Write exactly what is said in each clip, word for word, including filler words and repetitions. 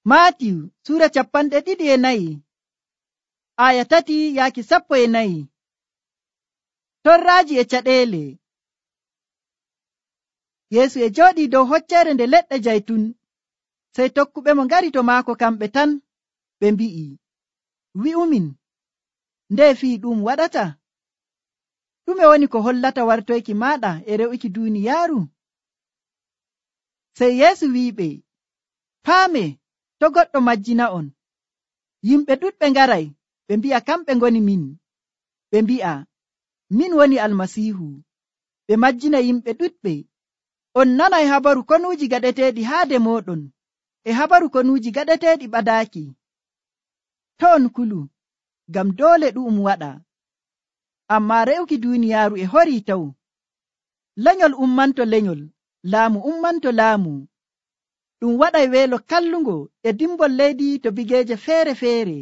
Maatiyu sura capanɗe ɗiɗi e nayi aya tati yaaki sappo e nayi. Torraaji e caɗeele. Yeesu e jooɗii dow hocceere nde leɗɗe jaytun, sey tokkuɓe mo ngari to maako kamɓe tan, ɓe mbi'i, wi'umin, nde fii ɗum waɗata? Ɗume woni ko hollata wartoyki maaɗa e re'uki duuniyaaru? Sey Yeesu wi'iɓe, paame, to goɗɗo majjina'on. Yimɓe ɗuɗɓe ngaray, ɓe mbi'a kamɓe ngoni min. Ɓe mbi'a, min woni Almasiihu. Ɓe majjina yimɓe ɗuɗɓe. On nanay habaru konuuji gaɗeteeɗi haade mooɗon, e habaru konuuji gaɗeteeɗi ɓadaaki. To on kulu, ngam doole ɗu'um waɗa. Ammaa re'uki duuniyaaru e horii taw. Lenyol ummanto lenyol, laamu ummanto laamu. Ɗum waɗay weelo kallungo e dimbol leydi to bigeeje feere-feere.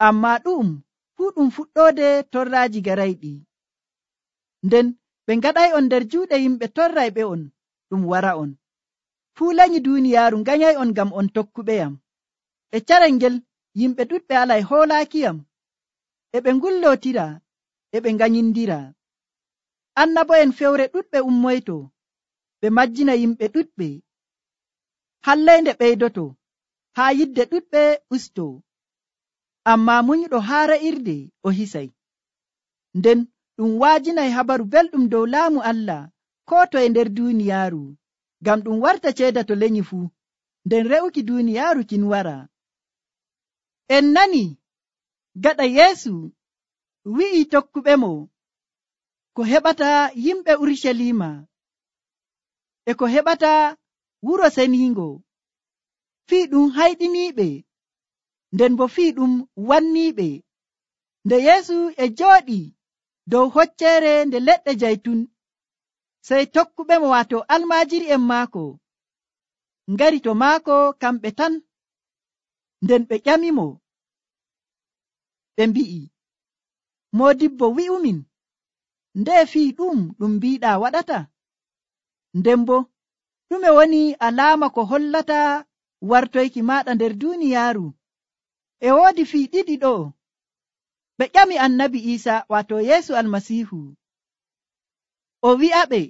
Ammaa ɗu'um fuu ɗum fuɗɗoode torraaji garayɗi. Nden ɓe ngaɗay'on nder juuɗe yimɓe torrayɓe on, ɗum wara'on. Fuu lanyi duuniyaaru nganyay'on ngam on tokkuɓeyam. E carel ngel yimɓe ɗuɗɓe alay hoolaakiyam. E ɓe ngullootira, e ɓe nganyindira. Annabo'en fewre ɗuɗɓe ummoyto, ɓe majjina yimɓe ɗuɗɓe. Halleynde ɓeydoto, haa yidde ɗuɗɓe usto. Ammaa munyuɗo haa ra'irde o hisay. Nden ɗum waajinay habaru belɗum dow laamu Allah koo toye nder duuniyaaru, ngam ɗum warta ceeda to lenyi fuu, nden re'uki duuniyaaru kin wara. En nani gaɗa Yeesu wi'i tokkuɓe mo ko heɓata yimɓe Urucaliima e ko heɓata wuro seniingo, fii ɗum hayɗiniiɓe, nden bo fii ɗum wanniiɓe. Nde Yeesu e jooɗii dow hocceere nde leɗɗe jaytun, sey tokkuɓe mo waato almaajiri'en maako ngari to maako kamɓe tan, nden ɓe ƴamimo, ɓe mbi'i, Moodibbo, wi'umin, nde fii ɗum ɗum mbiiɗaa waɗata? Nden bo ɗume woni alaama ko hollata wartoyki maaɗa nder duuniyaaru? E woodi fii ɗiɗi ɗo. Ɓe ƴami annabi Iisaa waato Yeesu Almasiihu. O wi'aɓe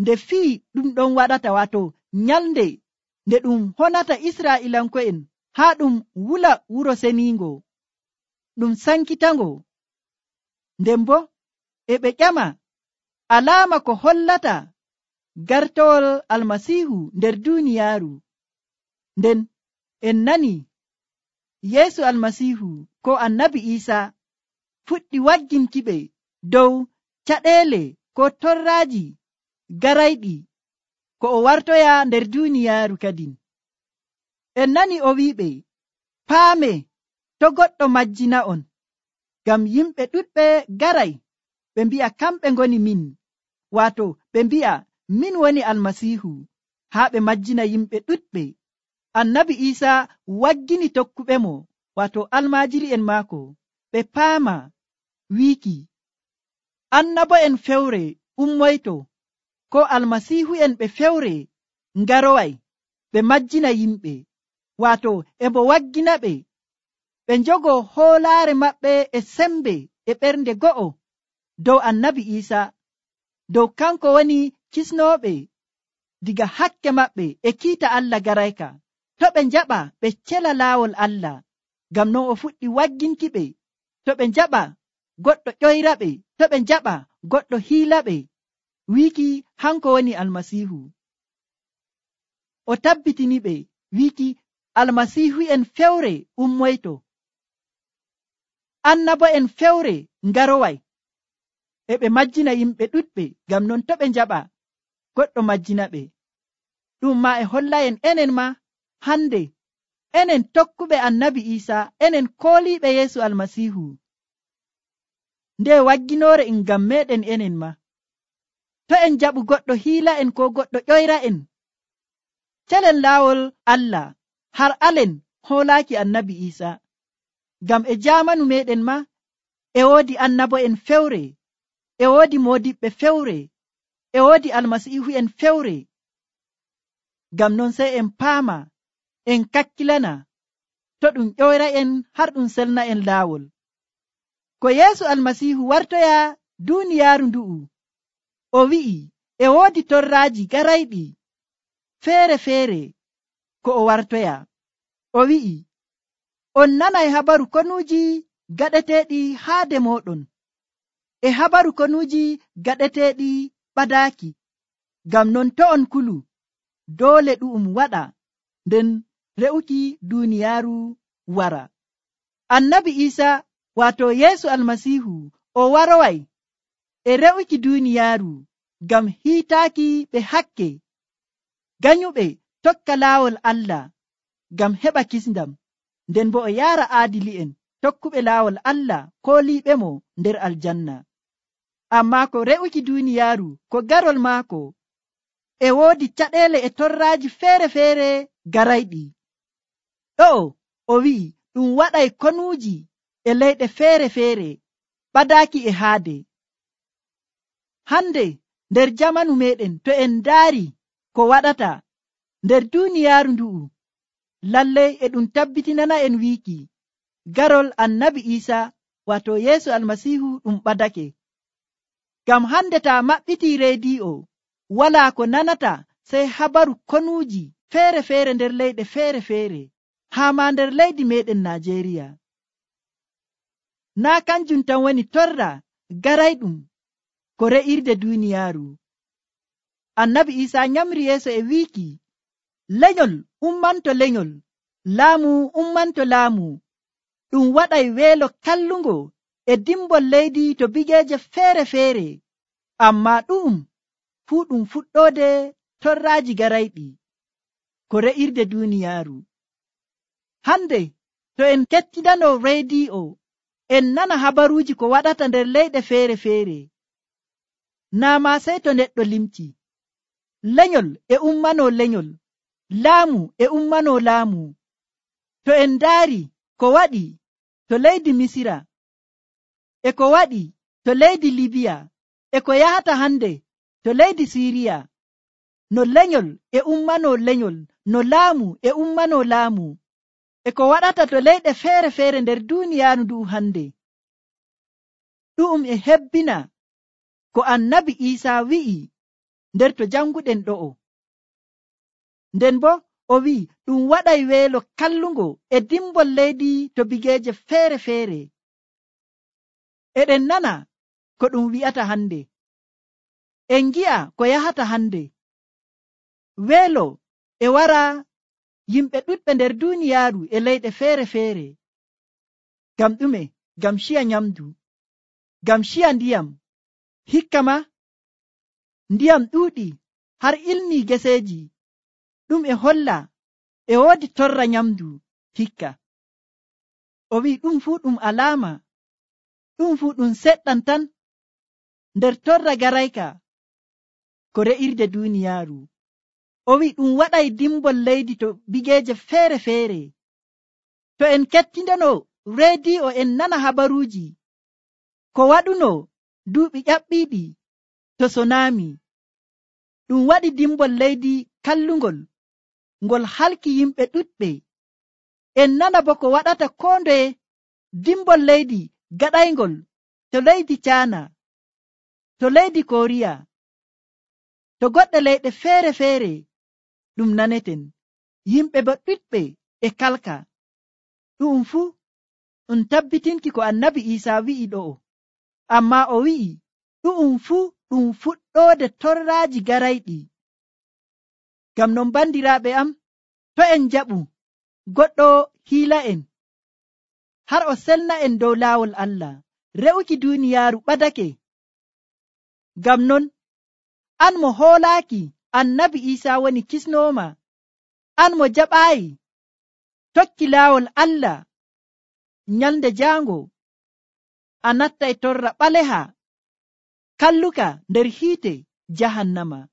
nde fii ɗum ɗon waɗata, waato nyalnde nde ɗum honata Israa'iilanko'en haa ɗum wula wuro seniingo, ɗum sankitango. Nden bo e ɓe ƴama alaama ko hollata gartowol Almasiihu nder duuniyaaru. Nden en nani Yeesu Almasiihu ko annabi Iisaa fuɗɗi wagginkiɓe dow caɗeele ko torraaji garayɗi ko o wartoya nder duuniyaaru kadin. En nani o wi'iɓe, paame, to goɗɗo majjina'on, ngam yimɓe ɗuɗɓe garay, ɓe mbi'a kamɓe ngoni min, waato ɓe mbi'a min woni Almasiihu, haa ɓe majjina yimɓe ɗuɗɓe. Annabi Iisaa waggini tokkuɓe mo, waato almaajiri'en maako, ɓe paama wiiki, annabo'en fewre ummoyto, ko almasiihu'en ɓe fewre ngaroway, ɓe majjina yimɓe, waato e mo waggina ɓe, ɓe njogoo hoolaare maɓɓe e sembe e ɓernde go'o dow annabi Iisaa, dow kanko woni kisnooɓe diga hakke maɓɓe e kiita Allah garayka. To ɓe njaɓa ɓe cela laawol Allah, ngam non o fuɗɗi wagginki ɓe. To ɓe njaɓa goɗɗo ƴoyraɓe, to ɓe njaɓa goɗɗo hiilaɓe, wiiki hanko woni Almasiihu. O tabbitini ɓe wiiki almasiihu'en fewre ummoyto, annabo'en fewre ngaroway, e ɓe majjina yimɓe ɗuɗɓe, ngam non to ɓe njaɓa goɗɗo majjina ɓe. Ɗum ma e holla'en enen ma hande, enen tokkuɓe annabi Iisaa, enen kooliiɓe Yeesu Almasiihu, nde wagginoore en ngam meɗen enen ma. To en jaɓu goɗɗo hiila'en ko goɗɗo ƴoyra'en, celen laawol Allah har alen hoolaaki annabi Iisaa, ngam e jaamanu meɗen ma e woodi annabo'en fewre, e woodi moodiɓɓe fewre, e woodi almasiihu'en fewre. Ngam non sey en paama en kakkilana to ɗum ƴoyra'en har ɗum selna en laawol. Ko Yeesu Almasiihu wartoya duuniyaaru ndu'u, o wi'i e woodi torraaji garayɗi feere-feere ko o wartoya. O wi'i, on nanay habaru konuuji gaɗeteeɗi haade mooɗon, e habaru konuuji gaɗeteeɗi ɓadaaki. Ngam non to on kulu, doole ɗu'um waɗa nden re'uki duuniyaaru wara. Annabi Iisaa waato Yeesu Almasiihu o waroway e re'uki duuniyaaru ngam hiitaaki ɓe hakke ganyuɓe tokka laawol Allah ngam heɓa kisndam, nden bo o yaara aadili'en tokkuɓe laawol Allah kooliiɓemo nder aljanna. Ammaa ko re'uki duuniyaaru ko garol maako e woodi caɗeele e torraaji feere-feere garayɗi. Ɗo'o o wi'i ɗum waɗay konuuji e leyɗe feere-feere ɓadaaki e haade. Hande nder jamanu meɗen to en ndaari ko waɗata nder duuniyaaru ndu'u, lallay e ɗum tabbitinana en wiiki garol annabi Iisaa wato Yeesu Almasiihu ɗum ɓadake. Ngam hande taa maɓɓitii reediyo, walaa ko nanata sey habaru konuuji feere-feere nder leyɗe feere-feere, haa ma nder leydi meɗen Najeriya. Naa kanjum tan woni torra garayɗum ko re'irde duuniyaaru. Annabi Iisaa nyamri yeeso e wiiki, lenyol ummanto lenyol, laamu ummanto laamu, ɗum waɗay weelo kallungo e dimbol leydi to bigeeje feere-feere. Ammaa ɗu'um fuu ɗum fuɗɗoode torraaji garayɗi ko re'irde duuniyaaru. Hande to en kettidano reediyo, en nana habaruuji ko waɗata nder leyɗe feere-feere. Naa ma sey to neɗɗo limti, lenyol e ummano lenyol, laamu e ummano laamu. To en ndaari ko waɗi to leydi Misira, e ko waɗi to leydi Libiya, e ko yahata hande to leydi Siiriya, no lenyol e ummano lenyol, no laamu e ummano laamu, e ko waɗata to leyɗe feere-feere nder duuniyaaru ndu'u hande, ɗu'um e hebbina ko annabi Iisaa wi'i nder to janguɗen ɗo'o. Nden bo o wi'i ɗum waɗay weelo kallungo e dimbol leydi to bigeeje feere-feere. Eɗen nana ko ɗum wi'ata hande, en gi'a ko yahata hande. Weelo e wara yimɓe ɗuɗɓe nder duuniyaaru e leyɗe feere-feere. Ngam ɗume? Ngam ciya nyamdu, ngam ciya ndiyam. Hikka ma ndiyam ɗuuɗi har ilnii geseeji, ɗum e holla e woodi torra nyamdu hikka. O wi'i ɗum fuu ɗum alaama, ɗum fuu ɗum seɗɗan tan nder torra garayka ko re'irde duuniyaaru. O wi'i ɗum waɗay dimbol leydi to bigeeje feere-feere. To en kettindano reediyo, en nana habaruuji ko waɗuno duuɓi ƴaɓɓiiɗi to sonami, ɗum waɗi dimbol leydi kallungol ngol halki yimɓe ɗuɗɓe. En nana bo ko waɗata koo ndoye dimbol leydi gaɗaygol to leydi Caana, to leydi Koriya, to goɗɗe leyɗe feere-feere ɗum naneten. Yimɓe bo ɗuɗɓe e kalka. Ɗum fuu ɗum tabbitinki ko annabi Iisaa wi'i ɗo'o. Ammaa o wi'i ɗu'um fuu ɗum fuɗɗoode torraaji garayɗi. Ngam non bandiraaɓe am, to en jaɓu goɗɗo hiila en har o selna en dow laawol Allah, re'uki duuniyaaru ɓadake. Ngam non an mo hoolaaki annabi Iisaa woni kisnooma, an mo jaɓaayi tokki laawol Allah, nyalnde jaango a nattay torra ɓaleha kalluka nder hiite jahannama.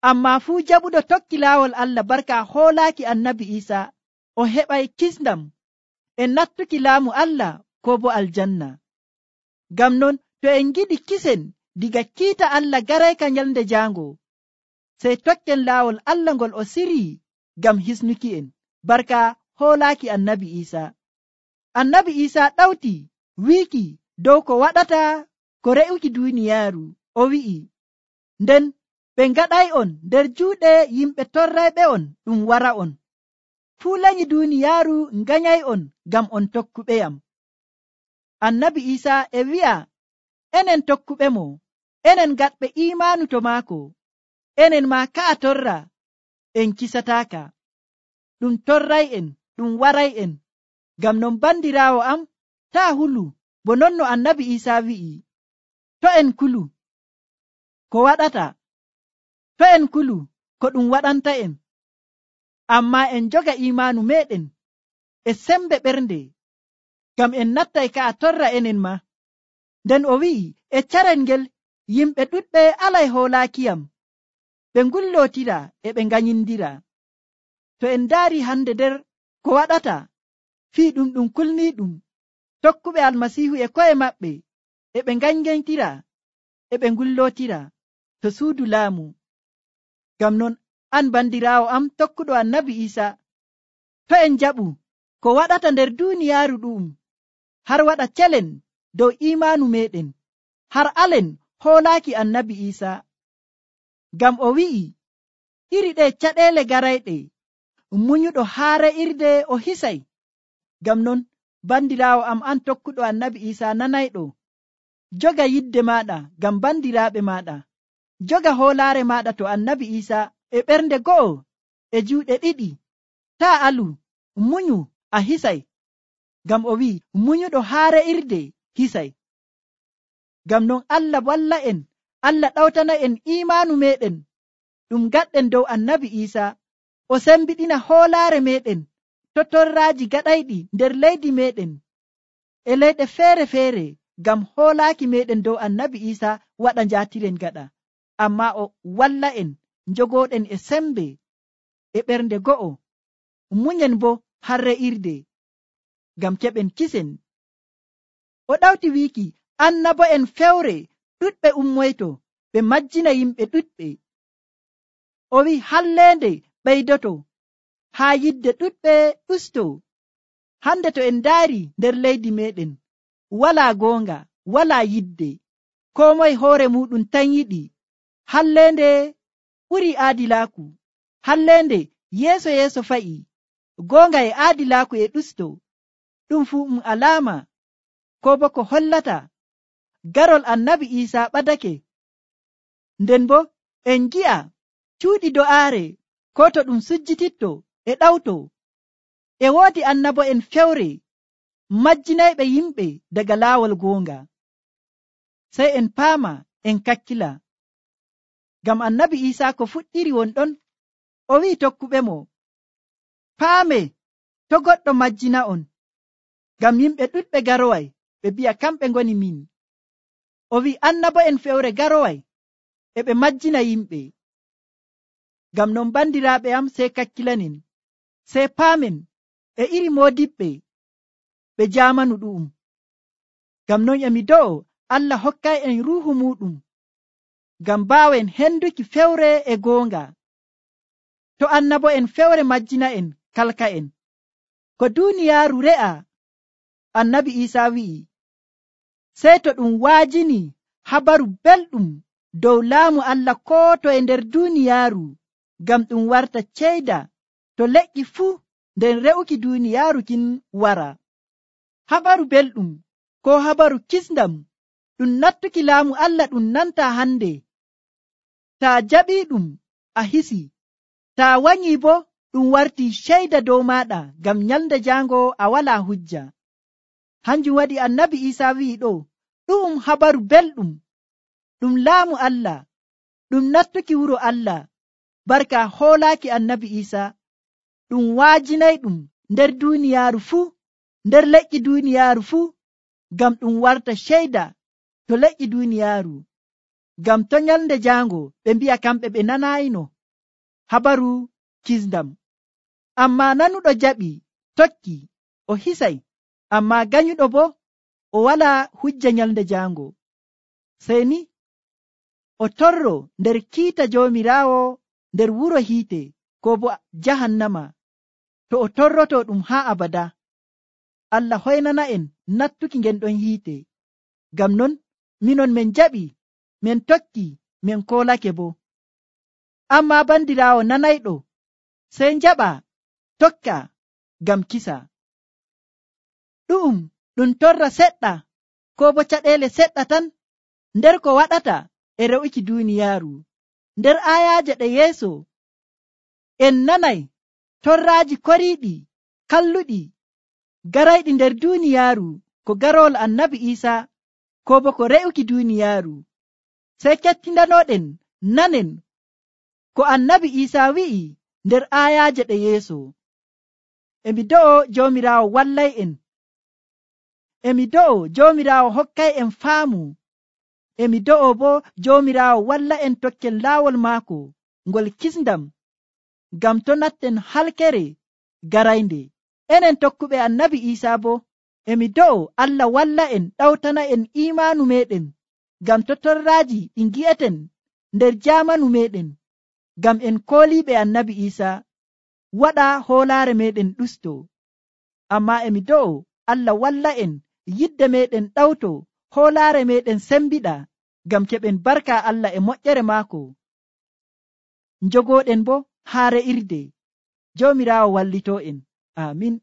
Ammaa fuu jaɓuɗo tokki laawol Allah barka hoolaaki annabi Iisaa, o heɓay kisndam e nattuki laamu Allah ko bo aljanna. Ngam non to en giɗi kisen diga kiita Allah garayka nyalnde jaango, sey tokken laawol Allah ngol o sirii ngam hisnuki en. barka hoolaaki annabi Iisa. Annabi Iisa ɗawti wiiki dow ko waɗata ko re'uki duuniyaaru. O wi'i, nden ɓe ngaɗay'on nder juuɗe yimɓe torrayɓe on ɗum wara'on. Fuu lanyi duuniyaaru nganyay'on ngam on tokkuɓeyam. Annabi Iisa e wi'a enen tokkuɓemo, enen gaɗɓe iimaanu to maako, enen maa ka'a torra en kisataaka. Ɗum torray'en, ɗum waray'en. Ngam non bandiraawo am, taa hulu bo non no annabi Iisa wi'i. To en kulu ko waɗata, to en kulu ko ɗum waɗanta'en, ammaa en joga iimaanu meɗen e sembe ɓernde, ngam en nattay ka'a torra enen ma. Nden o wi'i, e carel ngel yimɓe ɗuɗɓe alay hoolaakiyam, ɓe ngullootira e ɓe nganyindira. To en ndaari hande nder ko waɗata fii ɗum ɗum kulniiɗum, tokkuɓe almasiihu e ko'e maɓɓe e ɓe nganyintira e ɓe ngullootira to suudu laamu. Ngam non an bandiraawo am tokkuɗo annabi Iisa, to en jaɓu ko waɗata nder duuniyaaru ɗu'um, har waɗa celen dow iimaanu meɗen, har alen hoolaaki annabi Iisa. Ngam o wi'i, iri ɗe caɗeele garayɗe, munyuɗo haa re'irde o hisay. Ngam non bandiraawo am an tokkuɗo annabi Iisa nanayɗo, joga yidde maaɗa ngam bandiraaɓe maaɗa, joga hoolaare maaɗa to annabi Iisa e ɓernde go'o e juuɗe ɗiɗi. Taa alu, munyu a hisay. Ngam o wi'i, munyuɗo haa re'irde hisay. Ngam non Allah walla en, Allah ɗawtana en iimaanu meɗen ɗum gaɗɗen dow annabi Iisa, o sembiɗina hoolaare meɗen to torraaji gaɗayɗi nder leydi meɗen e leyɗe feere-feere, ngam hoolaaki meɗen dow annabi Iisa waɗa njaatiren gaɗa. Ammaa o walla en njogooɗen e sembe e ɓernde go'o, munyen bo har re'irde, ngam keɓen kisen. O ɗawti wiiki, annabo'en fewre ɗuɗɓe ummoyto ɓe majjina yimɓe ɗuɗɓe. O wi'i halleende ɓeydoto, haa yidde ɗuɗɓe ɗusto. Hande to en ndaari nder leydi meɗen, walaa goonga, walaa yidde, koo moye hoore muɗum tan yiɗi. Halleende ɓuri aadilaaku, halleende yeeso yeeso fa'i, goonga e aadilaaku e ɗusto. Ɗum fuu um alaama ko bo ko hollata garol annabi Iisa ɓadake. Nden bo en gi'a cuuɗi do'aare ko to ɗum sujjititto e ɗawto, e woodi annabo'en fewre majjinayɓe yimɓe daga laawol goonga. Sey en paama en kakkila. Ngam annabi Iisa ko fuɗɗiri won ɗon, o wi'i tokkuɓe mo, paame to goɗɗo majjina on, ngam yimɓe ɗuɗɓe garoway ɓe bi'a kamɓe ngoni min. O wi'i annabo'en fewre garoway e ɓe majjina yimɓe. Ngam non bandiraaɓe am, sey kakkilanen, sey paamen e iri moodiɓɓe ɓe jaamanu ɗu'um. Ngam non emi do'o Allah hokkay en ruuhu muɗum, ngam mbaawen henduki fewre e goonga. To annabo'en fewre majjina en kalka en, ko duuniyaaru re'a, annabi Iisa wi'i, sey to ɗum waajini habaru belɗum dow laamu Allah koo to e nder duuniyaaru, ngam ɗum warta ceyda to leƴƴi fuu nden re'uki duuniyaaru kin wara. Habaru belɗum ko habaru kisndam ɗum nattuki laamu Allah ɗum nanta hande. Taa jaɓii ɗum a hisi, taa wanyi bo ɗum warti ceyda dow maaɗa, ngam nyalnde jaango a walaa hujja. Hanjum waɗi annabi Iisa wi'i ɗo, ɗu'um habaru belɗum, ɗum laamu Allah, ɗum nattuki wuro Allah. Barka hoolaaki annabi Iisa, ɗum waajinay ɗum nder duuniyaaru fuu, nder leƴƴi duuniyaaru fuu, ngam ɗum warta ceyda to leƴƴi duuniyaaru, ngam to nyalnde jaango ɓe mbi'a kamɓe ɓe nanayino habaru kisndam. Ammaa nanuɗo jaɓi tokki, o hisay, ammaa ganyuɗo bo o walaa hujja nyalnde jaango. Sey ni o torro nder kiita Joomiraawo nder wuro hiite ko bo jahannama. to o torroto ɗum haa abada. Allah hoynana en nattuki ngen ɗon hiite. Ngam non minon min jaɓi, min tokki, min koolake bo. Amma bandiraawo nanayɗo sey jaɓa tokka ngam kisa. Ɗu'um ɗum torra seɗɗa ko bo caɗeele seɗɗa tan nder ko waɗata e re'uki duuniyaaru. Nder aayaaje ɗe yeeso en nanay torraaji koriiɗi kalluɗi garayɗi nder duuniyaaru ko garol annabi Iisaa ko bo ko re'uki duuniyaaru. Sey kettindanoɗen nanen ko annabi Iisaa wi'i nder aayaaje ɗe yeeso. Emi do'o Joomiraawo wallay en. Emi do'o Joomiraawo hokkay en faamu. Emi do'o bo Joomiraawo walla en tokken laawol maako ngol kisndam, ngam to natten halkere garaynde. Enen tokkuɓe annabi Iisaa bo emi do'o Allah walla en ɗawtana en imaanu meɗen, ngam to torraaji ɗi ngi'eten nder jaamanu meɗen, ngam en kooliiɓe annabi Iisaa waɗa hoolaare meɗen ɗusto. Amma emi do'o Allah walla en yidde meɗen ɗawto hoolaare meɗen sembiɗa, ngam keɓen barka Allah e moƴƴere maako, njogooɗen bo haa re'irde. Joomiraawo wallito en. Amin.